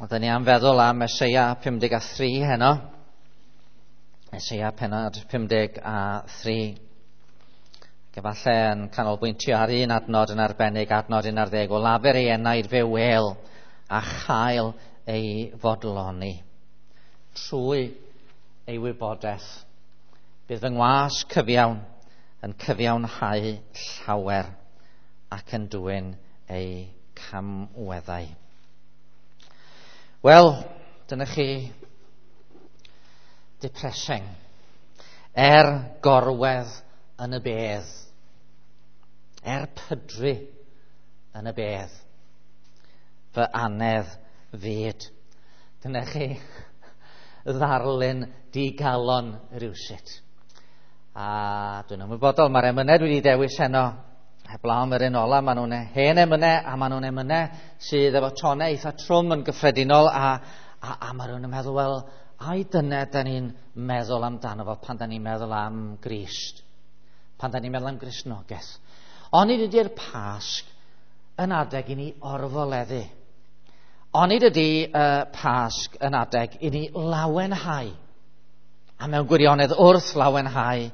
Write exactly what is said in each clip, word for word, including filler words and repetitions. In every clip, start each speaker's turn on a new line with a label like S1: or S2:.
S1: Oedden ni am feddwl am Eseia pum deg a thri heno. Eseia pennod pum deg a thri. Ac efallai yn canolbwyntio ar un adnod yn arbennig, adnod un ar ddeg, o lafur ei enaid fe wel a chael ei fodloni. Trwy ei wybodaeth, bydd fy ngwas cyfiawn yn cyfiawnhau llawer ac yn dwyn ei camweddau. Wel, dyna chi depressing. Er gorwedd yn y bedd. Er pydru yn y bedd. Fy anedd fyd. Dyna chi ddarlun digalon rywsut. A dwi'n ymwybodol, mae'r emynau dwi wedi dewis heno, heblaw am yr un ola, maen nhw'n hen emynau, a maen nhw'n emynau sydd efo tonau eitha trwm yn gyffredinol, a, a, a maen nhw'n meddwl, wel, ai dyna da ni'n meddwl amdano fo pan da ni'n meddwl am Grist, pan da ni'n meddwl am Gristnogaeth. Onid ydy'r Pasg yn adeg i ni orfoleddu? Onid ydy uh, Pasg yn adeg i ni lawenhau? A mewn gwirionedd wrth lawenhau,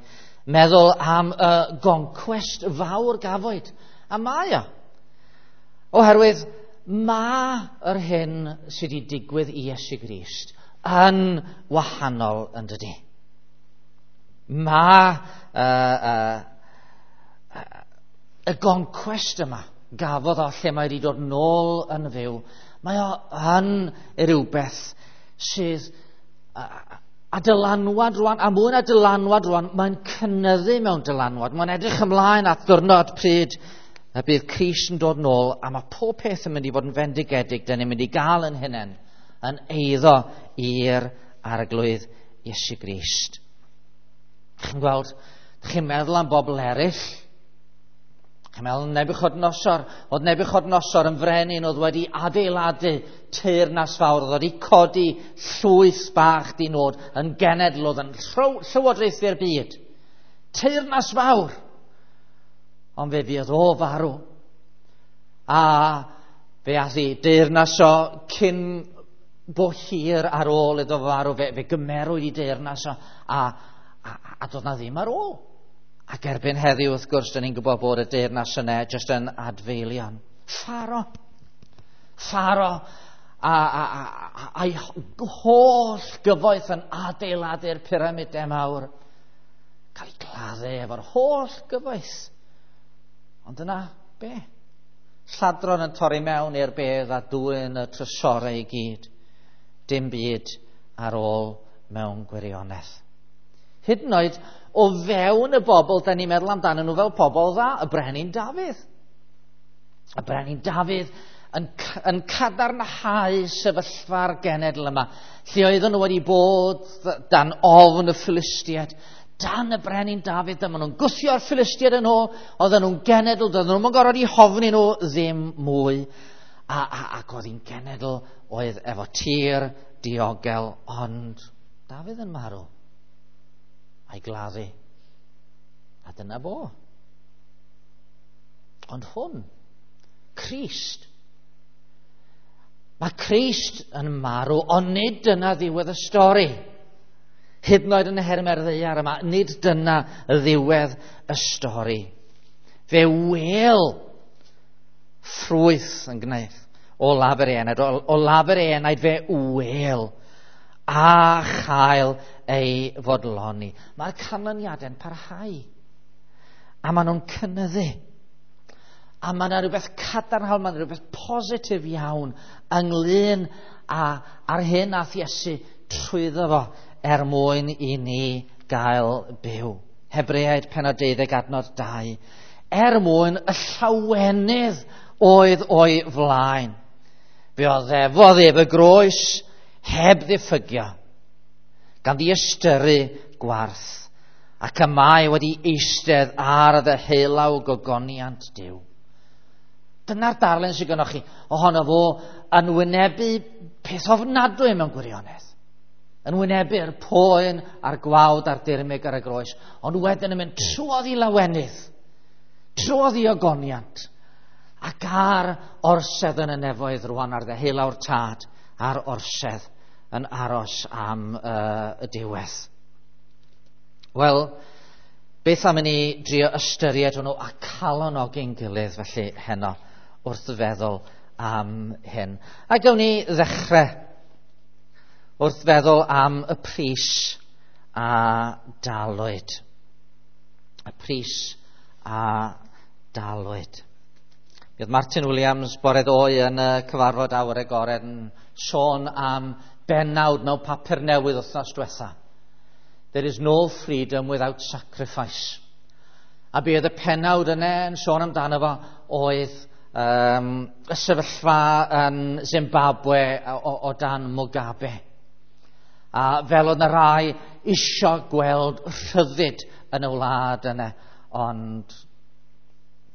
S1: meddwl am y goncwest fawr gafwyd. A mae o. Oherwydd mae yr hyn sydd wedi digwydd i Iesu Grist yn wahanol yn dydi. Mae uh, uh, y goncwest yma gafodd o lle mae wedi dod nôl yn fyw, mae o yn rhywbeth sydd uh, a dylanwad rwan, a mwy na dylanwad rwan, mae'n cynyddu mewn dylanwad. Mae'n edrych ymlaen at ddiwrnod pryd y bydd Crist yn dod nôl, a mae pob peth yn mynd i fod yn fendigedig. Dyn ni'n mynd i gael yn hunain yn eiddo i'r Arglwydd Iesu Grist. Chi'n gweld, chi'n meddwl am bobl eraill. Chi'n meddwl Nebuchadnezzar. Oedd Nebuchadnezzar yn frenin oedd wedi adeiladu teyrnas fawr, oedd wedi codi llwyth bach di nod yn genedl oedd yn llywodraethu'r byd. Teyrnas fawr. Ond fe fuodd o farw. A fe ath i deyrnas o cyn bo hir ar ôl iddo farw. Fe, fe gymerwyd i deyrnas o a, a, a doedd na ddim ar ôl. Ac erbyn heddiw, wrth gwrs, dyn ni'n gwybod bod y deyrnas yna jyst yn adfeilion. Pharo. Pharo a, a, a, a'i holl gyfoeth yn adeiladu'r pyramidau mawr. Cael ei gladdu efo'r holl gyfoeth. Ond yna, be? Lladron yn torri mewn i'r bedd a dwyn y trysorau i gyd. Dim byd ar ôl mewn gwirionedd. Hyd yn oed o fewn y bobl, da ni'n meddwl amdanyn nhw fel pobl dda, y Brenin Dafydd. Y Brenin Dafydd yn, yn cadarnhau sefyllfa'r genedl yma, lle oedden nhw wedi bod dan ofn y Philistiaid, dan y Brenin Dafydd, dyma nhw'n gwthio'r Philistiaid yn ôl, oedden nhw'n genedl, doedden nhw'n gorfod i hofni nhw ddim mwy. A, a, ac oedd hi'n genedl oedd efo tir diogel, ond Dafydd yn marw. A'i gladdu. A dyna fo. Ond hwn, Crist. Mae Crist yn marw, ond nid dyna ddiwedd y stori. Hyd yn oed yn nhermau'r ddaear yma, nid dyna ddiwedd y stori. Fe wel ffrwyth yn gwneud o lafur ei enaid, o, o lafur ei enaid fe wel a chael ei fodloni. Mae'r canlyniadau'n parhau. A maen nhw'n cynyddu. A mae yna rhywbeth cadarnhaol, mae yna rhywbeth positif iawn ynglyn â, â'r hyn ath Iesu trwyddo fo er mwyn i ni gael byw. Hebreaid pennod deuddeg adnod dau. Er mwyn y llawenydd oedd o'i flaen. Fe oddefodd ef y groes heb ddiffygio, gan ddiystyru gwarth, ac y mae wedi eistedd ar ddeheulaw gogoniant Duw. Dyna'r darlun sydd gennych chi ohono fo yn wynebu peth ofnadwy mewn gwirionedd. Yn wynebu'r poen a'r gwawd a'r dirmyg ar y groes, ond wedyn yn mynd trwodd i lawenydd, trwodd i ogoniant, ac ar orsedd yn y nefoedd rwan ar ddeheulaw'r Tad ar orsedd yn aros am uh, y diwedd. Wel, beth am i ni drio ystyried hwnnw a calonogi'n gilydd felly heno wrth feddwl am hyn. A gawn ni ddechrau wrth feddwl am y pris a dalwyd. Y pris a dalwyd. Mi oedd Martin Williams bore ddoe yn y cyfarfod awyr agored yn sôn am bennawd mewn papur newydd wythnos diwetha. There is no freedom without sacrifice. A be oedd y pennawd yna yn sôn amdano fo oedd um, y sefyllfa yn Zimbabwe o, o dan Mugabe. A fel oedd yna rai isio gweld rhyddid yn y wlad yna, ond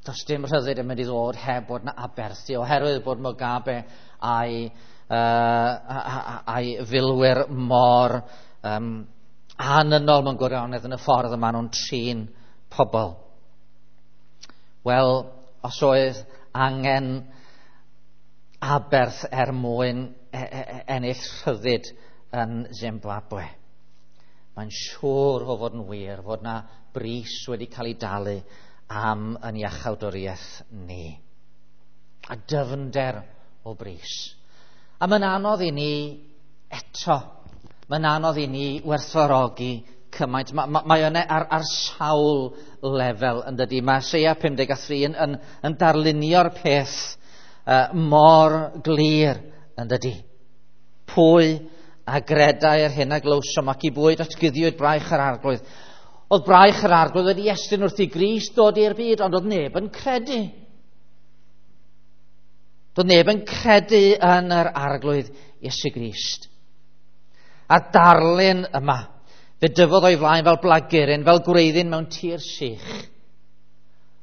S1: does dim rhyddid yn mynd i ddod heb bod yna aberthu, oherwydd bod Mugabe a'i, uh, a'i filwyr mor um, anynol mewn gwirionedd yn y ffordd y maen nhw'n trin pobl. Wel, os oedd angen aberth er mwyn ennill rhyddid yn Zimbabwe, mae'n siŵr o fod yn wir fod na bris wedi cael ei dalu am yn iachawdwriaeth ni. A dyfnder o bris. A mae'n anodd i ni eto, mae'n anodd i ni werthfawrogi cymaint. Mae, mae, mae yna ar, ar sawl lefel yn dydy. Mae Eseia pum deg a thri yn, yn, yn darlunio'r peth uh, mor glir yn dydy. Pwy a gredai yr hyn a glywsom ac i bwy datguddiwyd braich yr Arglwydd. Oedd braich yr Arglwydd wedi estyn wrth i Grist dod i'r byd, ond oedd neb yn credu. Doedd neb yn credu yn yr Arglwydd Iesu Grist. A darlun yma, fe dyfodd o'i flaen fel blaguryn, fel gwreiddyn mewn tir sych.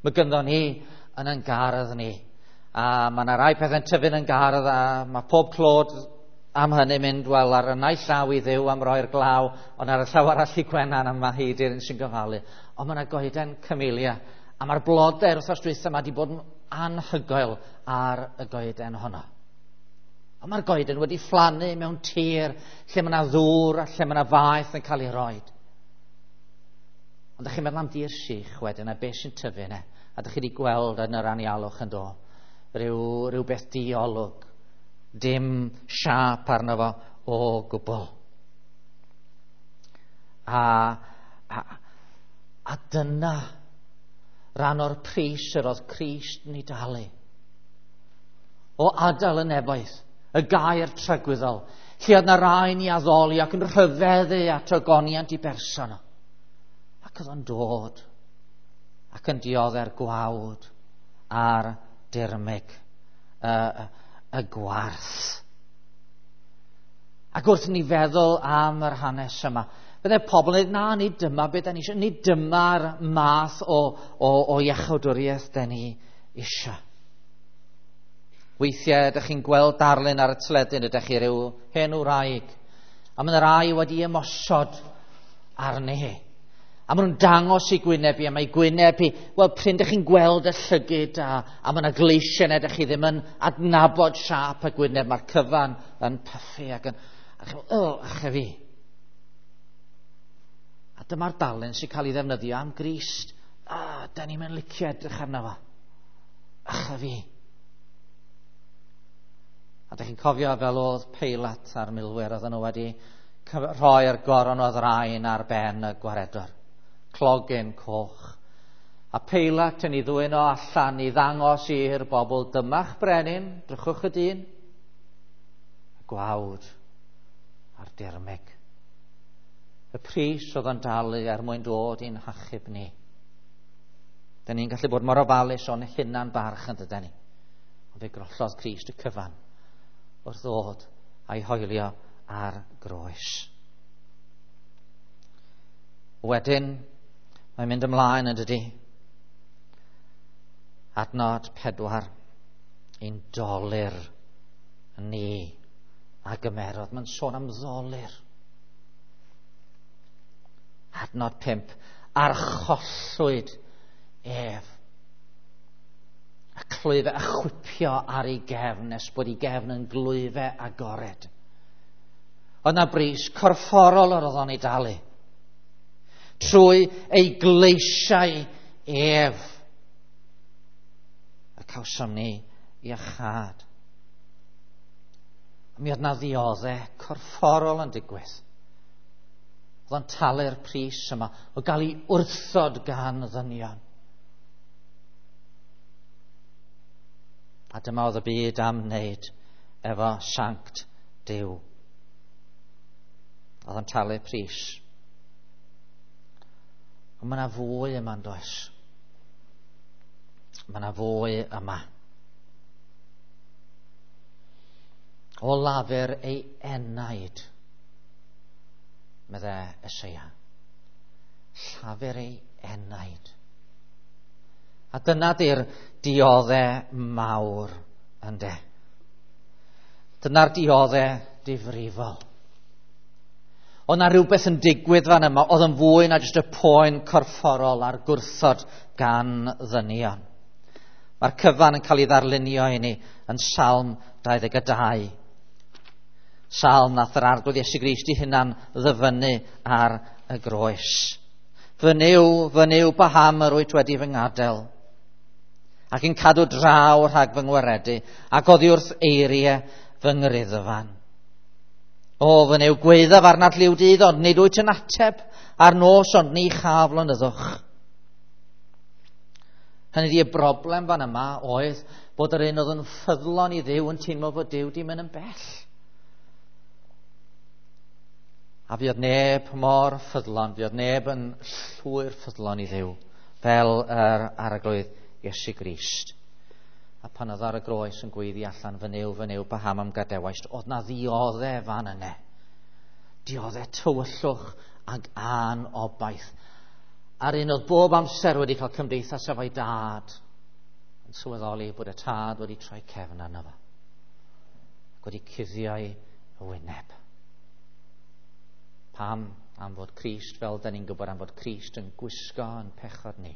S1: Mae gynddon ni yn ein gardd ni. A mae yna rai pethau'n tyfu'n yn gardd, a mae pob clod am hynny mynd, wel, ar y naill llaw i Dduw am roi'r glaw, ond ar y llaw arall i Gwenan am mae hi di'r un sy'n gofalu. Ond mae yna goeden camelia, a mae'r blodau'r wythnos dwytha yma wedi bod yn anhygoel ar y goeden honno. Ond mae'r goeden wedi fflannu mewn tir lle mae yna ddŵr a lle mae yna faeth yn cael ei roed. Ond ydych chi'n meddwl am dir sych wedyn a beth sy'n tyfu yna, a ydych chi wedi gweld yn yr anialwch yn do, rhyw, rhyw beth diolwg, dim siâp arno fo o gwbl. A, a, a dyna rhan o'r pris yr oedd Crist yn ei dalu. O adael y nefoedd, y gair tragwyddol, lle oedd na rai'n ei addoli ac yn rhyfeddu at ogoniant i berson. Ac oedd o'n dod ac yn diodde'r gwawd a'r dirmyg, y, y gwarth. Ac wrth ni feddwl am yr hanes yma, byddai pobl yn dweud, na, nid dyma beth da ni eisiau, nid dyma'r math o, o, o iachawdwriaeth da ni eisiau. Weithiau ydych chi'n gweld darlun ar y teledu, ydych chi rhyw hen wraig, a mae yna rai wedi ymosod arni hi. A maen nhw'n dangos i gwyneb i, a mae gwyneb i, wel, pryn ydych chi'n gweld y llygyd, a, a mae yna gleisiau, ydych chi ddim yn adnabod siâp y gwyneb, mae'r cyfan yn pyffu ac yn, a chi'n meddwl, o, ache fi. A dyma'r darlun sy'n cael ei ddefnyddio am Grist. A, da ni'n mynd licio edrych arno fo. Ache fi. A dych chi'n cofio fel oedd Peilat a'r milwyr, oedden nhw wedi rhoi'r goron o ddraen ar ben y gwaredwr. Clogyn coch. A Peilat yn ei ddwyn o allan i ddangos i'r bobl, dyma'ch brenin, drychwch y dyn. Y gwawd a'r dirmyg. Y pris oedd yn dalu er mwyn dod i'n hachub ni. Dyn ni'n gallu bod mor ofalus o'n hunan barch yn dydyn ni. Ond fe grollodd Crist y cyfan wrth ddod a'i hoelio ar groes. Wedyn, mae'n mynd ymlaen yn dydy. Adnod pedwar, ein dolur ni a gymerodd. Mae'n sôn am ddolur. Adnod pump, archollwyd ef. A clwyfe a chwipio ar ei gefn nes bod ei gefn yn glwyfe agored. Oedd na bris corfforol yr oedd o'n ei dalu. Trwy ei gleisiau ef y cawsom ni iachâd. Mi oedd na ddioddau corfforol yn digwydd. Oedd o'n talu'r pris yma o gael ei wrthod gan ddynion. A dyma oedd y byd am wneud efo sanct Duw. Oedd o'n talu pris. Ond mae yna fwy yma yn does. Mae yna fwy yma. O lafur ei enaid, medde Eseia. Llafur ei enaid. A dyna di'r dioddau mawr ynde. Dyna'r dioddau difrifol. Oedd na rhywbeth yn digwydd fan yma oedd yn fwy na jyst y poen corfforol a'r gwrthod gan ddynion. Mae'r cyfan yn cael ei ddarlunio i ni yn Salm dau ddeg dau. Salm nath yr Arglwydd Iesu Grist i hunan ddyfynnu ar y groes. Fy Nuw, fy Nuw, paham yr wyt wedi fy ngadael? Ac yn cadw draw rhag fy ngwaredu, ac oddi wrth eiriau fy ngriddfan. O, fy Nuw, gwaeddaf arnat liw dydd, ond nid wyt yn ateb, a'r nos, ond ni chaf lonyddwch. Hynny ydi, y broblem fan yma oedd bod yr un oedd yn ffyddlon i Dduw yn teimlo fod Duw di mynd yn bell. A fuodd neb mor ffyddlon, fuodd neb yn llwyr ffyddlon i Dduw fel yr Arglwydd Iesu Grist. A pan oedd ar y groes yn gweiddi allan, fy Nuw, fy Nuw, paham am gadewaist, oedd na ddioddef fan yne. Dioddef tywyllwch ag anobaith. A'r un oedd bob amser wedi cael cymdeithas efo'i dad yn sylweddoli bod y tad wedi troi cefn arno fo ac wedi cuddio'i wyneb. Pam? Am fod Crist, fel da ni'n gwybod, am fod Crist yn gwisgo yn pechod ni,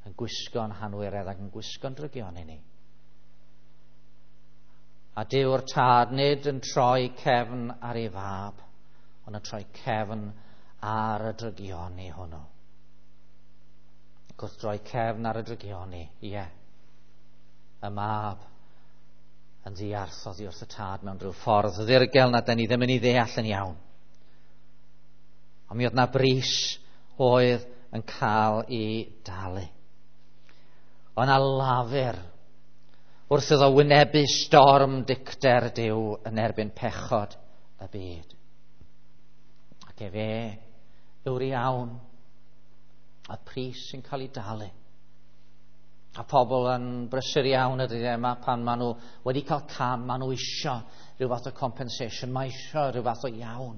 S1: yn gwisgo yn hanwyredd ac yn gwisgo'n drygioni ni. A Duw'r tad nid yn troi cefn ar ei fab, ond yn troi cefn ar y drygioni hwnnw. Ac wrth droi cefn ar y drygioni, ie, y mab yn ddiarth oddi wrth y tad mewn rhyw ffordd ddirgel na da ni ddim yn ei ddeall yn iawn. Ond mi oedd na bris oedd yn cael ei dalu. Oedd na lafur wrth iddo wynebu storm dicter Duw yn erbyn pechod y byd. Ac efe yw'r iawn, a pris sy'n cael ei dalu. A pobl yn brysur iawn y dyddiau yma pan maen nhw wedi cael cam, maen nhw isio rhyw fath o compensation, mae isio rhyw fath o iawn.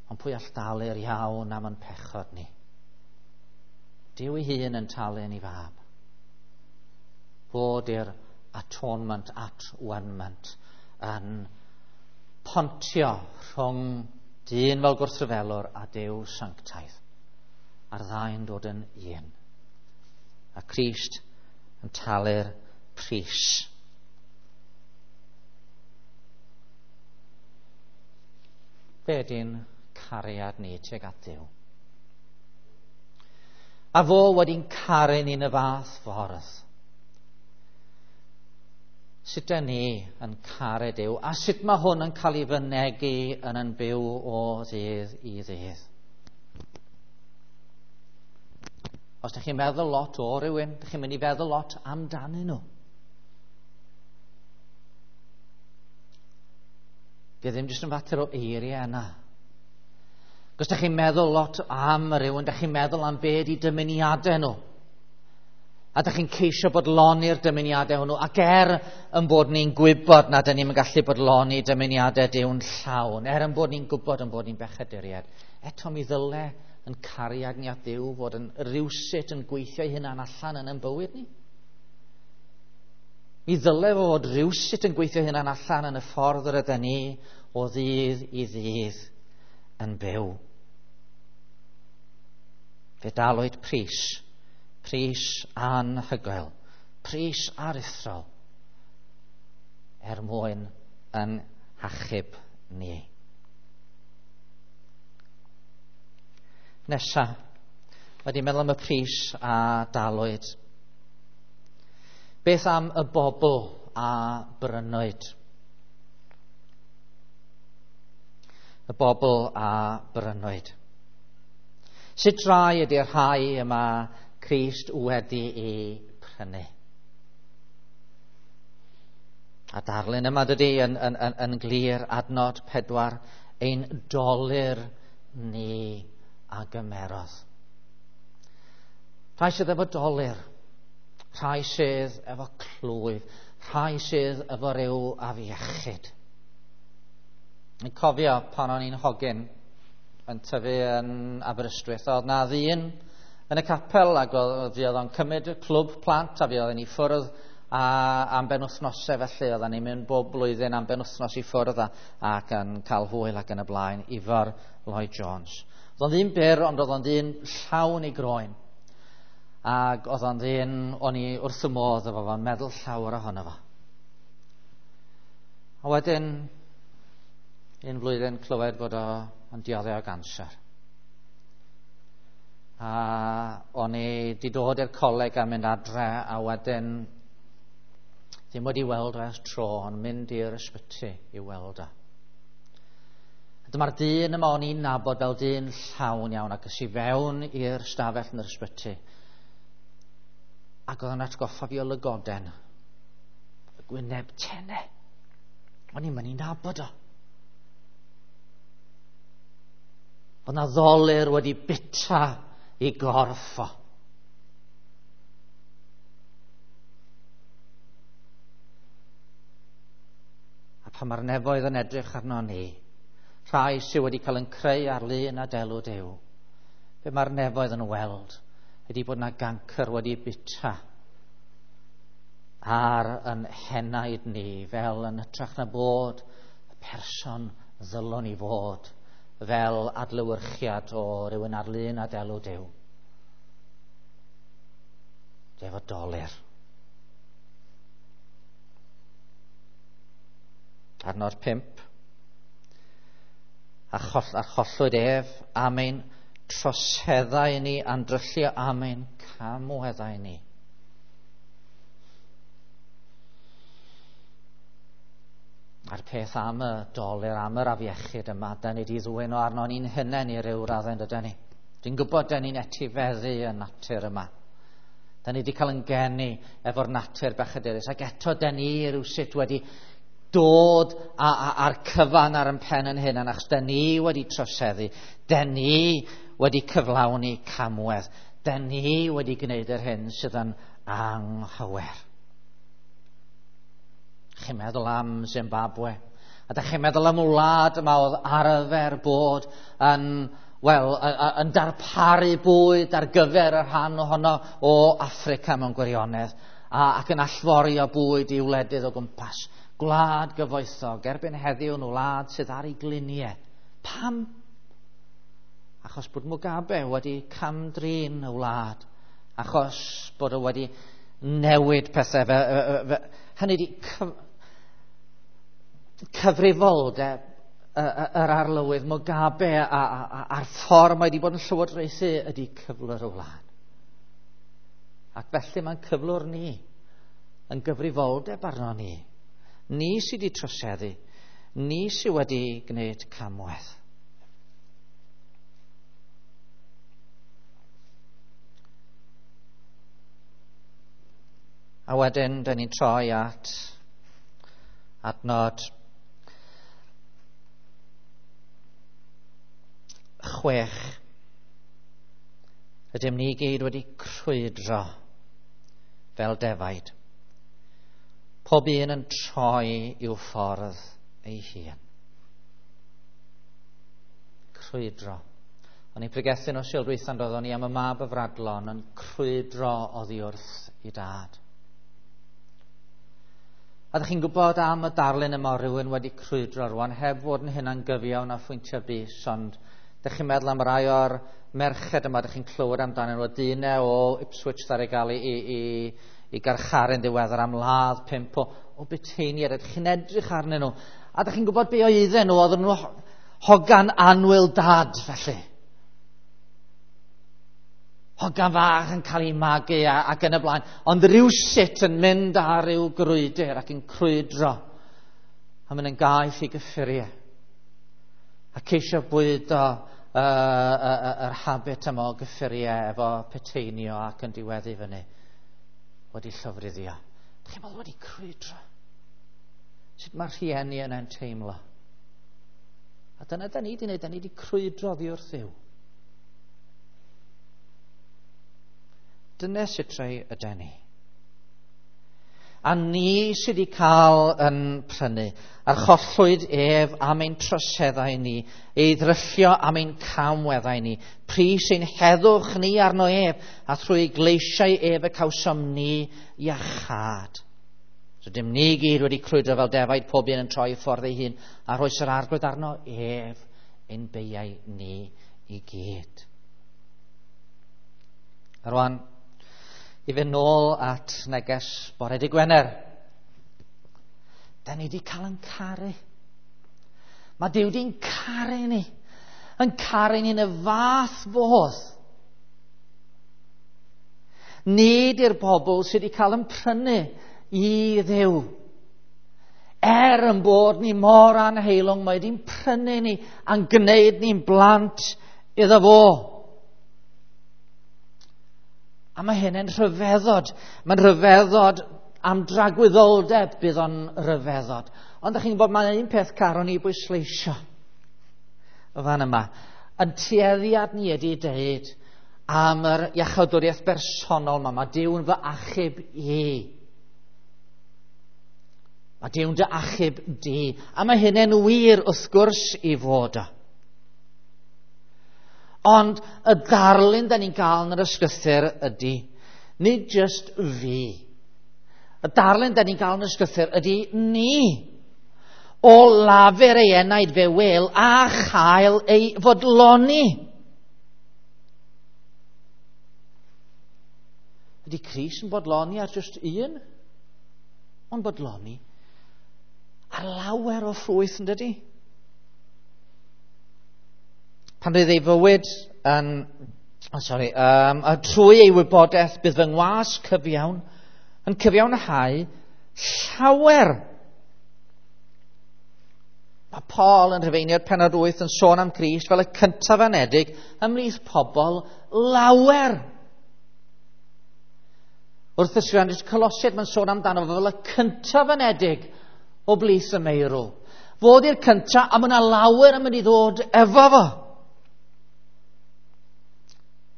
S1: Ond pwy all dalu'r iawn am yn pechod ni? Duw ei hun yn talu yn ei fab. Fod i'r atonement, at-one-ment, yn pontio rhwng dyn fel gwrthryfelwr a Duw sanctaidd. A'r ddau'n dod yn un. A Crist yn talu'r pris. Be ydy'n cariad ni tuag at Duw? A fo wedi'n caru ni'n y fath ffordd. Sut ydyn ni yn caru Duw? A sut mae hwn yn cael ei fynegi yn yn byw o ddydd i ddydd? Os ydych chi'n meddwl lot o rywun, ydych chi'n mynd i feddwl lot amdanyn nhw. Di ddim jyst yn fater o eiriau yna. Os ydych chi'n meddwl lot am rywun, ydych chi'n meddwl am be ydi dymuniadau nhw. A ydych chi'n ceisio bodloni'r dymuniadau hwnnw. Ac er yn bod ni'n gwybod nad ydyn ni'n gallu bodloni dymuniadau Duw'n llawn, er yn bod ni'n gwybod yn bod ni'n bechaduriaid, eto mi ddyle yn cariad ni at Dduw fod yn rywsut yn gweithio ei hunan allan yn ein bywyd ni. Mi ddyle fod rywsut yn gweithio ei hunan allan yn y ffordd yr ydyn ni o ddydd i ddydd yn byw. Fe dalwyd pris, pris anhygoel, pris aruthrol, er mwyn yn hachub ni. Nesa, wedi meddwl am y pris a dalwyd. Beth am y bobl a brynwyd? Y bobl a brynwyd. Sut rai ydy'r rhai yma Crist wedi ei prynu? A darlun yma dydy yn, yn, yn, yn glir, adnod pedwar, ein dolur ni a gymerodd. Rhai sydd efo dolur, rhai sydd efo clwyf, rhai sydd efo ryw afiechyd. Yn cofio pan o'n i'n hogyn yn tyfu yn Aberystwyth, oedd na ddyn yn y capel ac oedd o'n cymryd y clwb plant a fi oedden ni ffwrdd a am benwythnosau felly, oedden ni'n mynd bob blwyddyn am benwythnos i ffwrdd a, ac yn cael hwyl ac yn y blaen, Ifor Lloyd Jones. Oedd o'n ddyn byr, ond oedd o'n ddyn llawn i groen. Ac oedd o'n ddyn, o'n i wrth y modd efo fo'n meddwl llawer ohono fo. A wedyn, un flwyddyn clywed bod o'n dioddef o ganser. A o'n i wedi dod i'r coleg a mynd adre, a wedyn ddim wedi weld o ers tro, ond mynd i'r ysbyty i weld o. Dyma'r dyn yma o'n i'n nabod fel dyn llawn iawn, ac es i fewn i'r stafell yn yr ysbyty. Ac oedd o'n atgoffa fi o lygoden, y gwyneb tene. O'n i'n mynd i nabod o. Oedd na ddolur wedi bita i gorff o. A pan mae'r nefoedd yn edrych arno ni, rhai sydd wedi cael yn creu ar lun a delw Duw, be mae'r nefoedd yn weld ydy bod na gancr wedi bita ar yn henaid ni, fel yn hytrach na bod y person ddylwn i fod, fel adlewyrchiad o rywun ar lun a delw Duw. Efo dolur. Adnod pump. A, choll, a chollwyd ef am ein troseddau ni, a'n dryllio am ein camweddau ni. A'r peth am y dolur, am yr afiechyd yma, da ni wedi ddwyn o arno ni'n hunain i ryw raddau, dyda ni. Dwi'n gwybod da ni'n etifeddu y natur yma. Da ni wedi cael yn geni efo'r natur bechadurus, ac eto da ni rywsut wedi dod a, a, a'r cyfan ar yn pen yn hunan, achos da ni wedi troseddu, da ni wedi cyflawni camwedd, da ni wedi gwneud yr hyn sydd yn anghywir. Chi'n meddwl am Zimbabwe, a da chi'n meddwl am wlad yma oedd arfer bod yn, wel, yn darparu bwyd ar gyfer y rhan ohono o Affrica mewn gwirionedd, a, ac yn allforio bwyd i wledydd o gwmpas. Gwlad gyfoethog, erbyn heddiw yn wlad sydd ar ei gliniau. Pam? Achos bod Mugabe wedi cam-drin y wlad, achos bod o wedi newid pethau. Fe, fe, fe, hynny ydi cyf, cyfrifoldeb yr arlywydd Mugabe a, a, a, a'r ffordd mae wedi bod yn llywodraethu ydi cyflwr y wlad. Ac felly mae'n cyflwr ni yn gyfrifoldeb arno ni. Ni sydd wedi troseddu, ni sydd wedi gwneud camwedd. A wedyn, da ni'n troi at adnod chwech. Ydym ni gyd wedi crwydro fel defaid, pob un yn troi i'w ffordd ei hun. Crwydro. O'n i'n pregethu nos Sul dwytha, doeddwn i am y mab y fradlon yn crwydro oddi wrth i dad. A ydych chi'n gwybod am y darlun yma o rywun wedi crwydro rwan, heb fod yn hynna'n gyfiawn a phwyntio bys, ond ydych chi'n meddwl am rai o'r merched yma, ydych chi'n clywed amdanyn nhw, dyn o Ipswich ddaru gael ei, ei, ei, ei garcharu'n ddiweddar am ladd pump o, o buteiniaid. Ydych chi'n edrych arnyn nhw, A dach chi'n gwybod be oedden nhw, oedden nhw hogan annwyl dad, felly. Hogan fach yn cael ei magu a, ac yn y blaen. Ond rhywsut yn mynd ar ryw grwydr ac yn crwydro. A mynd yn gaeth i gyffuriau. A ceisio bwydo uh, uh, uh, yr habit yma o gyffuriau efo peteinio ac yn diweddu fyny. Wedi llofruddio. Dych chi'n meddwl wedi crwydro? Sut mae'r rhieni yna'n teimlo? A dyna da ni wedi wneud, da ni wedi crwydro oddi wrth Dduw. Dyna sut rai yden ni. A ni sydd wedi cael yn prynu, archollwyd ef am ein troseddau ni, ei ddryllio am ein camweddau ni, pris ein heddwch ni arno ef, a thrwy gleisiau ef y cawsom ni iachâd. Rydym ni gyd wedi crwydro fel defaid, pob un yn troi ffordd ei hun, a rhoes yr Arglwydd arno ef ein beiau ni i gyd. A rwan, i fynd nôl at neges bore dy Gwener. Da ni wedi cael yn caru. Mae Duw wedi'n caru ni. Yn caru ni yn y fath fodd. Nid i'r bobl sydd wedi cael yn prynu i Dduw. Er yn bod ni mor anheilwng, mae wedi'n prynu ni a'n gwneud ni'n blant iddo fo. A mae hyn yn rhyfeddod. Mae'n rhyfeddod am dragwyddoldeb bydd o'n rhyfeddod. Ond ydych chi'n gwybod, mae'n un peth caron i bwysleisio y fan yma. Yn tueddiad ni ydy deud am yr iachawdwriaeth bersonol yma. Mae Duw'n fy achub i. Mae Duw'n dy achub di. A mae hynny'n wir wrth gwrs i fod o. Ond y darlun da ni'n cael yn yr ysgrythur ydy, nid just fi. Y darlun da ni'n cael yn yr ysgrythur ydy ni. O lafur ei enaid fe wel a chael ei fodloni. Ydy Crist yn bodloni ar just un? Ond bodloni ar lawer o ffrwyth, yn dydy? Pan bydd ei fywyd yn, oh sorry, um, trwy ei wybodaeth bydd fy ngwas cyfiawn yn cyfiawnhau llawer. Mae Paul yn Rhufeiniaid pennod wyth yn sôn am Crist fel y cyntaf anedig ymhlith pobl lawer. Wrth ysgrifennu'r Colosiaid mae'n sôn amdano fel y cyntaf anedig o blith y meirw. Fod i'r cyntaf a mae yna lawer yn mynd i ddod efo fo.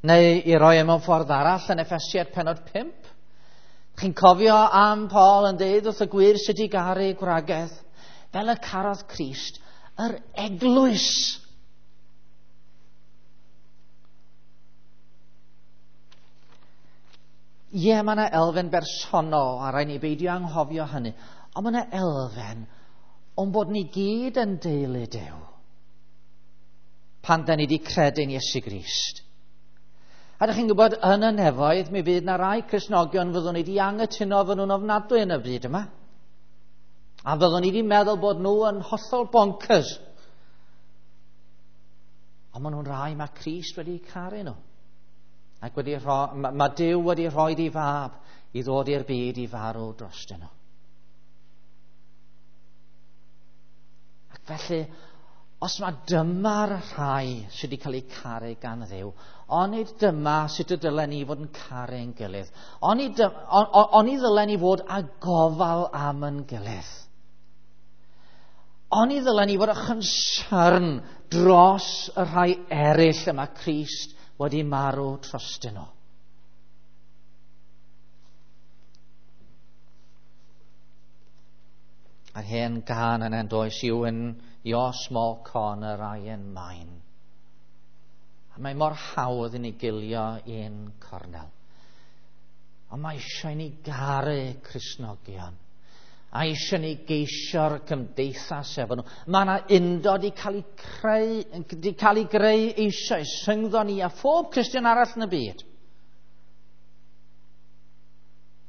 S1: Neu i roi e mewn ffordd arall yn Effesiaid pennod pump. Chi'n cofio am Paul yn deud wrth y gwir sut i garu gwragedd, fel y carodd Crist yr eglwys. Ie, mae yna elfen bersonol, a rhaid ni beidio anghofio hynny. Ond mae yna elfen o'n bod ni gyd yn deulu Duw pan da ni wedi credu'n Iesu Grist. A ydych chi'n gwybod, yn y nefoedd, mi fydd na rai Cristnogion fyddwn ni wedi anghytuno fy nhw'n ofnadwy yn y byd yma. A fyddwn ni wedi meddwl bod nhw yn hollol bonkers. Ond maen nhw'n rai mae Crist wedi caru nhw. Ac wedi rho, mae Duw wedi rhoi ei fab i ddod i'r byd i farw drostyn nhw. Ac felly, os mae dyma'r rhai sydd wedi cael eu caru gan Dduw, onid dyma sut y dylen ni fod yn caru ein gilydd. Onid, on, onid ddylen ni fod â gofal am ein gilydd. Onid ddylen ni fod â chonsern dros y rhai eraill y mae Crist wedi marw trostyn nhw. A'r hen gân yna yn does, you in your small corner, I in mine. A mae mor hawdd i ni gilio un cornel. Ond mae eisiau ni garu Cristnogion. A eisiau ni geisio'r cymdeithas efo nhw. Mae yna undod i cael ei creu, di cael ei greu eisoes rhyngddo ni a phob Cristion arall yn y byd.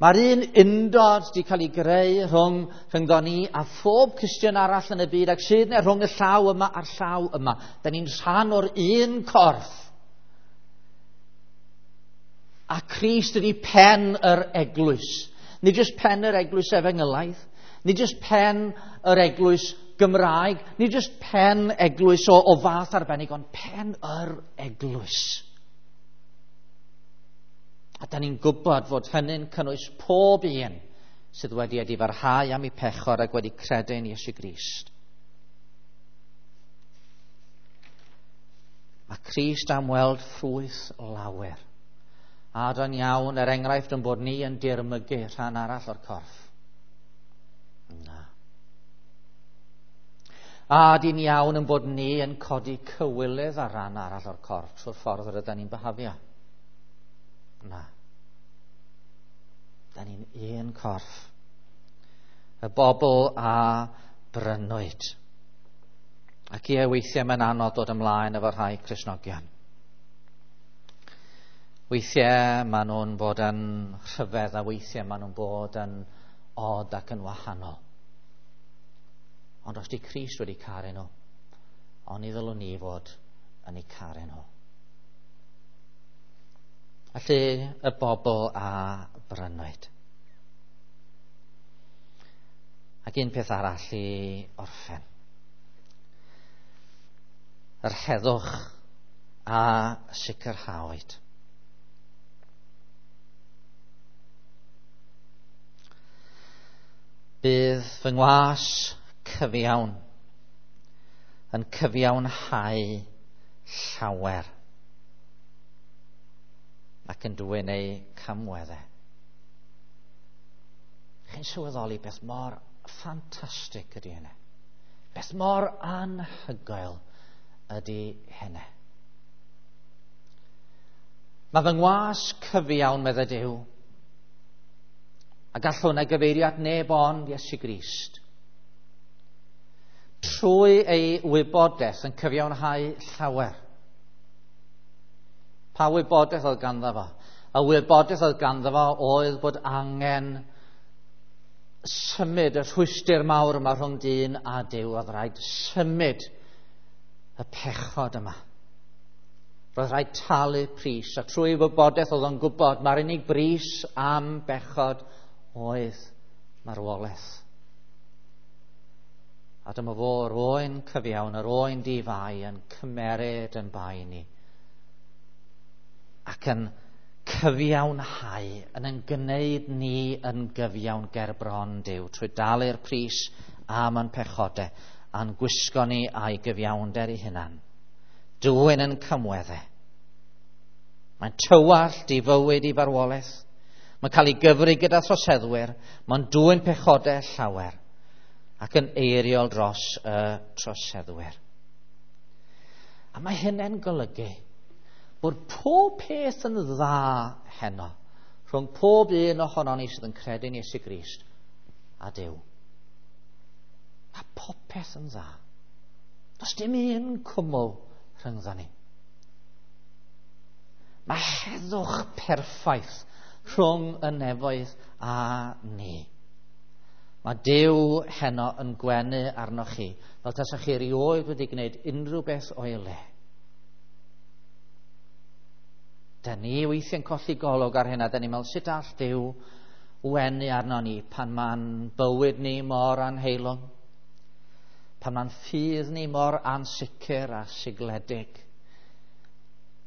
S1: Mae'r un undod wedi cael ei greu rhwng rhyngddo ni a phob Cristion arall yn y byd ac sydd yna rhwng y llaw yma a'r llaw yma. Da ni'n rhan o'r un corff. A Crist ydy pen yr eglwys. Nid jyst pen yr eglwys efengylaidd, nid jyst pen yr eglwys Gymraeg, nid jyst pen eglwys o, o fath arbennig, ond pen yr eglwys. A da ni'n gwybod fod hynny'n cynnwys pob un sydd wedi edifarhau am eu pechod ac wedi credu yn Iesu Grist. Mae Crist am weld ffrwyth lawer. A da'n iawn, er enghraifft, yn bod ni yn dirmygu rhan arall o'r corff. Na. A dyn iawn yn bod ni yn codi cywilydd ar ran arall o'r corff trwy'r ffordd yr ydyn ni'n byhafio. Na. Da ni'n un corff. Y bobl a brynwyd. Ac ie, weithiau mae'n anodd dod ymlaen efo rhai Cristnogion. Weithiau maen nhw'n bod yn rhyfedd a weithiau maen nhw'n bod yn od ac yn wahanol. Ond os di Crist wedi caru nhw, oni ddylwn ni fod yn eu caru nhw. Felly y bobl a brynwyd. Ac un peth arall i orffen. Yr heddwch a sicrhawyd. Bydd fy ngwas cyfiawn yn cyfiawnhau llawer ac yn dwyn eu camweddau. Chi'n sylweddoli beth mor ffantastig ydy hynny. Beth mor anhygoel ydy hynny. Mae fy ngwas cyfiawn, meddai Duw, a gall hwnna gyfeirio at neb ond Iesu Grist. Trwy ei wybodaeth yn cyfiawnhau llawer. Pa wybodaeth oedd ganddo fo? Y wybodaeth oedd ganddo fo oedd bod angen symud y rhwystr mawr yma rhwng dyn a Duw. Oedd rhaid symud y pechod yma. Roedd rhaid talu pris, a trwy wybodaeth oedd o'n gwybod mae'r unig bris am bechod oedd marwolaeth. A dyma fo, yr oen cyfiawn, yr oen di-fai yn cymeryd yn bai ni ac yn cyfiawnhau, yn yn gwneud ni yn gyfiawn ger bron Duw trwy dalu'r pris am ein pechodau a'n gwisgo ni a'i gyfiawnder ei hunan. Dwyn yn cymweddau. Mae'n tywallt i fywyd i farwolaeth. Mae'n cael ei gyfri gyda throseddwyr. Mae'n dwyn pechodau llawer ac yn eiriol dros y troseddwyr. A mae hynny'n golygu bod pob peth yn dda heno rhwng pob un ohonon ni sydd yn credu yn Iesu Grist a Duw. Mae popeth yn dda. Does dim un cwmwl rhyngddo ni. Mae heddwch perffaith rhwng y nefoedd a ni. Mae Duw heno yn gwenu arnoch chi fel tasach chi erioed wedi gwneud unrhyw beth o'i le. Da ni weithiau'n colli golwg ar hynna. Da ni'n meddwl, sut all Duw wenu arno ni pan mae'n bywyd ni mor anheilwng, pan mae'n ffydd ni mor ansicr a sigledig.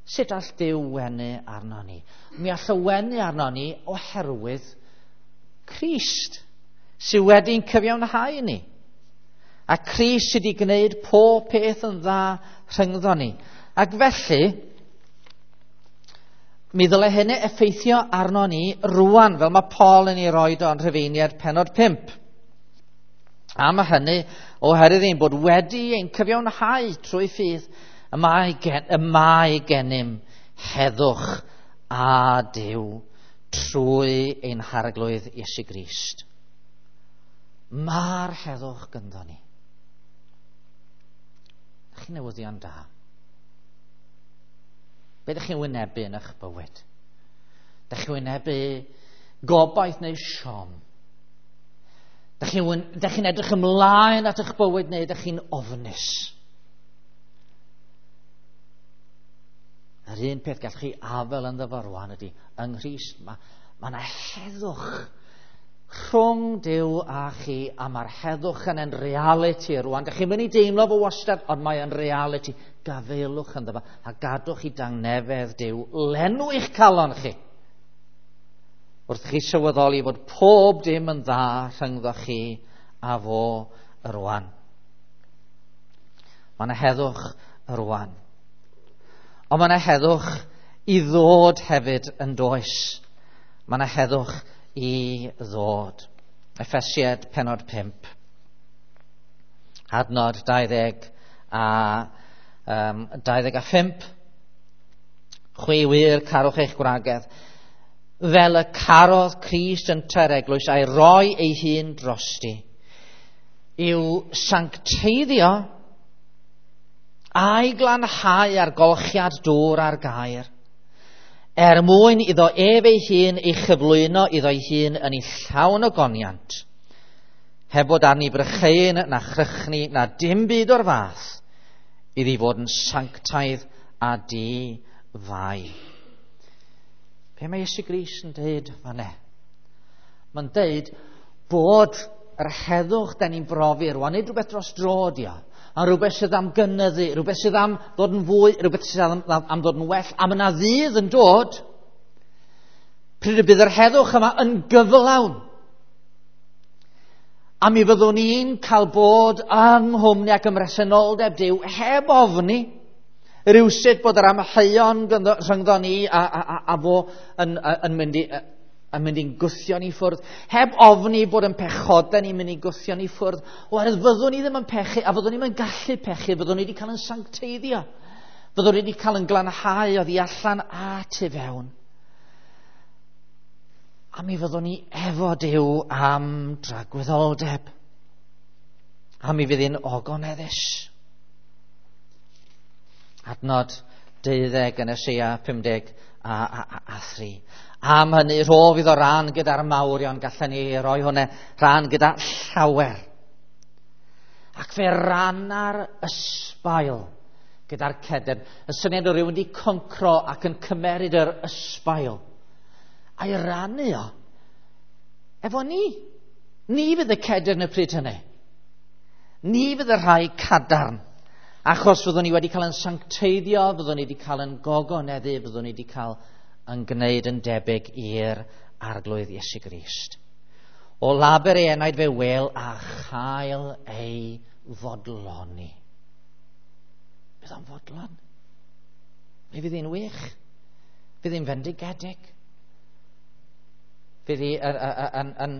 S1: Sut all Duw wenu arno ni? Mi all o wenu arno ni oherwydd Crist sydd wedi'n cyfiawnhau ni. A Crist sydd wedi gwneud pob peth yn dda rhyngddo ni. Ac felly, mi ddyle hynny effeithio arno ni rwan, fel mae Paul yn ei roed o'n Rhufeiniaid pennod pump. Am hynny, oherwydd ein bod wedi ein cyfiawnhau trwy ffydd, y mae, gen, y mae gennym heddwch a Duw trwy ein Harglwydd Iesu Grist. Mae'r heddwch gynddo ni. Ydych chi'n newyddion da? Be ydych chi'n wynebu yn eich bywyd? Ydych chi'n wynebu Gobaith neu siom? Dych chi'n chi edrych ymlaen at eich bywyd neu dych chi'n ofnus? Yr un peth gallwch chi afel ynddo fo rwan ydy, yng Nghrist mae ma yna heddwch rhwng Duw a chi, a mae'r heddwch yn yn reality rwan. Dych chi'n mynd i deimlo fo wastad, ond mae yn reality. Gafaelwch ynddo fo, a gadwch i dangnefedd Duw lenw eich calon chi. Wrth chi sylweddoli fod pob dim yn dda rhyngddo chi a fo rwan. Mae yna heddwch rwan. Ond mae yna heddwch i ddod hefyd yn does. Mae yna heddwch i ddod. Effesiaid pennod pump. Adnod dau ddeg a um, dau ddeg a phump. Chwi wir carwch eich gwragedd, fel y carodd Crist yntau'r eglwys a'i roi ei hun drosti, i'w sancteiddio a'i glanhau ar golchiad dŵr a'r gair, er mwyn iddo ef ei hun ei chyflwyno iddo ei hun yn ei llawn o goniant, heb fod arni brycheuyn na chrychni na dim byd o'r fath, iddi fod yn sanctaidd a di-fai. Be mae Iesu Grist yn deud fan'na? Mae'n deud bod yr heddwch da ni'n brofi rwan, nid rhywbeth dros dro ydi o, ond rhywbeth sydd am gynyddu, rhywbeth sydd am ddod yn fwy, rhywbeth sydd am, am ddod yn well, a mae yna ddydd yn dod pryd y bydd yr heddwch yma yn gyflawn. A mi fyddwn ni'n cael bod yng nghwmni ac ym mhresenoldeb Duw heb ofni rywsut bod yr amheuon rhyngddo ni a, a, a, a fo yn, yn mynd i, yn mynd i'n gwthio ni ffwrdd, heb ofni bod yn pechodau ni'n mynd i gwthio ni ffwrdd, oherwydd fyddwn ni ddim yn pechu, a fyddwn ni'n gallu pechu, fyddwn ni wedi cael yn sancteiddio, fyddwn ni wedi cael yn glanhau oddi allan a tu fewn. A mi fyddwn ni efo Duw am dragwyddoldeb, a mi fydd hi'n ogoneddus. Adnod deuddeg yn Eseia pum deg a, a, a, a thri. Am hynny, rhof iddo ran gyda'r mawrion, gallen ni roi hwnna ran gyda llawer. Ac fe ranna'r ysbail gyda'r cedyrn. Y syniad o rywun wedi concro ac yn cymeryd yr ysbail a'i rannu o efo ni. Ni fydd y cedyrn y pryd hynny. Ni fydd y rhai cadarn. Achos fyddwn ni wedi cael yn sancteiddio, fyddwn ni wedi cael yn gogoneddu, fyddwn ni wedi cael yn gwneud yn debyg i'r Arglwydd Iesu Grist. O laber ei enaid fe wel a chael ei fodloni. Bydd o'n fodlon. Mi fydd hi'n wych. Fydd hi'n fendigedig. Fydd hi yn... yn,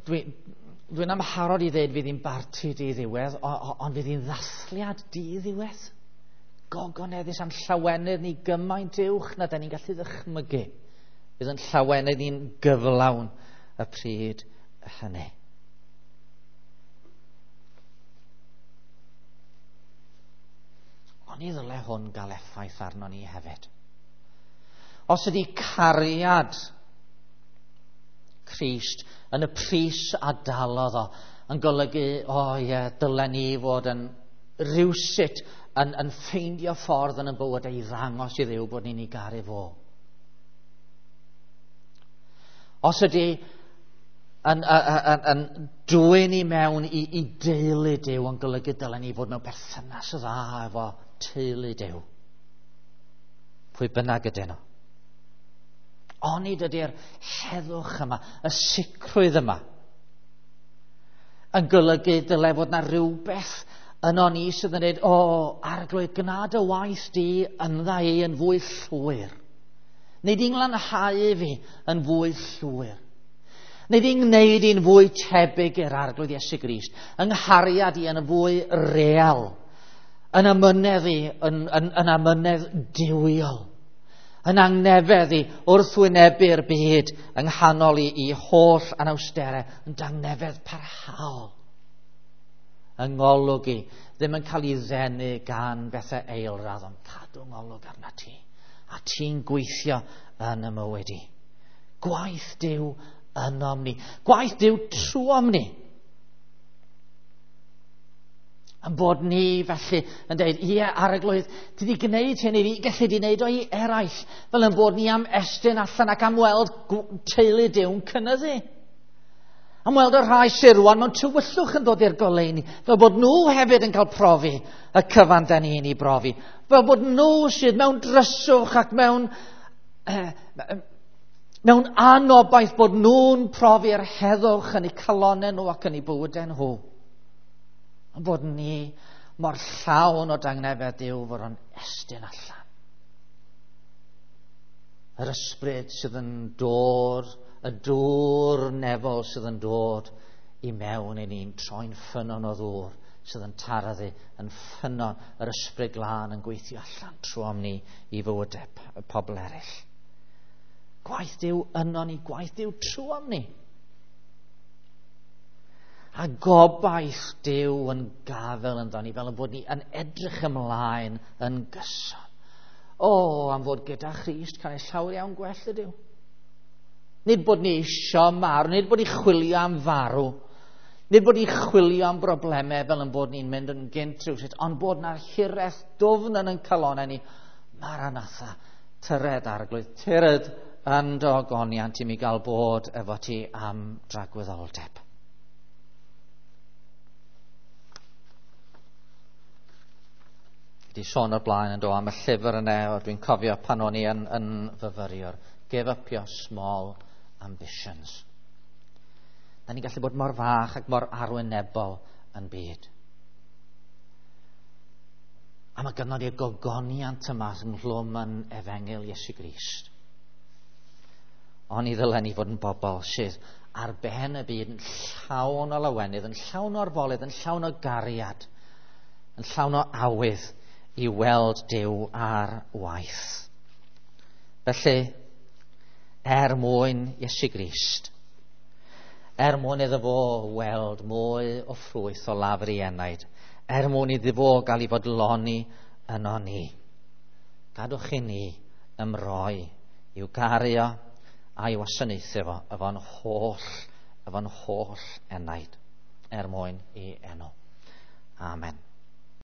S1: dwi, Dwi'n amharod i ddweud fydd hi'n barti di-ddiwedd, ond fydd hi'n ddathliad di-ddiwedd. Gogoneddus am llawenydd ni gymaint uwch na da ni'n gallu ddychmygu. Fydd yn llawenydd ni'n gyflawn y pryd hynny. Ond i ddyle hwn gael effaith arno ni hefyd. Os ydy cariad Crist yn y pris a dalodd o, yn golygu, o oh, ie, dylen ni fod yn rywsut yn, yn ffeindio ffordd yn y bywyd i ddangos i Dduw bod ni'n ei garu fo. Os ydy yn, yn, yn, yn dwyn i mewn i, i deulu Duw, yn golygu dylen ni fod mewn perthynas dda efo teulu Duw, pwy bynnag ydyn nhw. Onid ydy'r heddwch yma, y sicrwydd yma, yn golygu dyle fod na rhywbeth yno ni sydd yn dweud, o, Arglwydd, gwna dy waith di yndda i yn fwy llwyr. Neu di'n glanhau fi yn fwy llwyr. Neu di'n gwneud i'n fwy tebyg i'r Arglwydd Iesu Grist, yng nghariad i yn fwy real, yn amynedd i, yn, yn, yn amynedd duwiol, yn angnefedd i wrthwynebu'r byd yng nghanol i, i holl anawsterau, yn dangnefedd parhaol. Yng ngolwg i, ddim yn cael ei ddenu gan bethau eilradd, ond cadw ngolwg arna ti. A ti'n gweithio yn y mywyd i. Gwaith Duw ynom ni. Gwaith Duw trwom ni. Yn bod ni felly yn dweud, ie, Arglwydd, ti wedi gwneud hyn i fi, gallu di wneud o i eraill, fel yn bod ni am estyn allan ac am weld teulu Duw'n cynyddu. Am weld y rhai sydd rwan mewn tywyllwch yn dod i'r goleuni, fel bod nhw hefyd yn cael profi y cyfan da ni'n ei brofi. Fel bod nhw sydd mewn dryswch ac mewn, eh, mewn anobaith, bod nhw'n profi'r heddwch yn eu calonnau nhw ac yn eu bywydau nhw. Ond bod ni mor llawn o dangnefedd Duw fod o'n estyn allan. Yr ysbryd sydd yn dod, y dŵr nefol sydd yn dod i mewn i ni'n troi'n ffynnon o ddŵr sydd yn taraddu, yn ffynnon, yr ysbryd glân yn gweithio allan trwom ni i fywydau pobl eraill. Gwaith Duw yno ni, gwaith Duw trwom ni. A gobaith Duw yn gafel ynddo ni, fel yn bod ni yn edrych ymlaen yn gyson. O, am fod gyda Christ cael ei llawer iawn gwell ydyw. Nid bod ni isio marw, nid bod ni chwilio am farw, nid bod ni chwilio am broblemau fel yn bod ni'n mynd yn gynt rhywsut, ond bod na'r hiraeth dwfn yn ein calonnau ni. Maranatha, tyred Arglwydd, tyred yn dy ogoniant i mi gael bod efo ti am dragwyddoldeb. Di sôn o'r blaen yn do am y llyfr yna, o dwi'n cofio pan o'n i yn, yn fyfyriwr. Give up your small ambitions. Da ni'n gallu bod mor fach ac mor arwynebol yn byd. A mae gynnon ni'r gogoniant yma ynghlwm yn Efengyl Iesu Grist. Ond i ddylen ni fod yn bobl sydd ar ben y byd yn llawn o lawenydd, yn llawn o orfoledd, yn llawn o gariad, yn llawn o awydd i weld Duw ar waith. Felly, er mwyn Iesu Grist, er mwyn iddo fo weld mwy o ffrwyth o lafur ei enaid, er mwyn iddo fo gael ei fodloni yno ni, gadwch i ni ymroi i'w gario a'i wasanaethu fo efo'n holl, efo'n holl enaid, er mwyn ei enw. Amen.